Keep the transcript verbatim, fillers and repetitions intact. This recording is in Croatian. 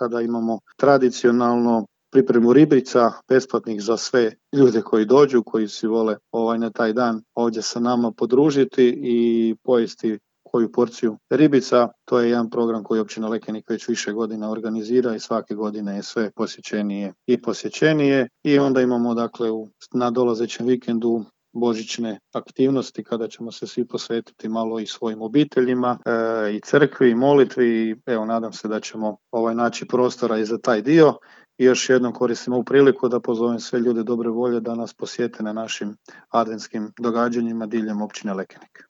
kada imamo tradicionalno pripremu ribica besplatnih za sve ljude koji dođu, koji si vole ovaj, na taj dan ovdje sa nama podružiti i pojesti koju porciju ribica. To je jedan program koji općina Lekenik već više godina organizira i svake godine je sve posjećenije i posjećenije. I onda imamo dakle u nadolazećem vikendu božićne aktivnosti kada ćemo se svi posvetiti malo i svojim obiteljima e, i crkvi i molitvi i evo nadam se da ćemo ovaj naći prostora i za taj dio. I još jednom koristim ovu priliku da pozovem sve ljude dobre volje da nas posjete na našim adventskim događanjima diljem općine Lekenik.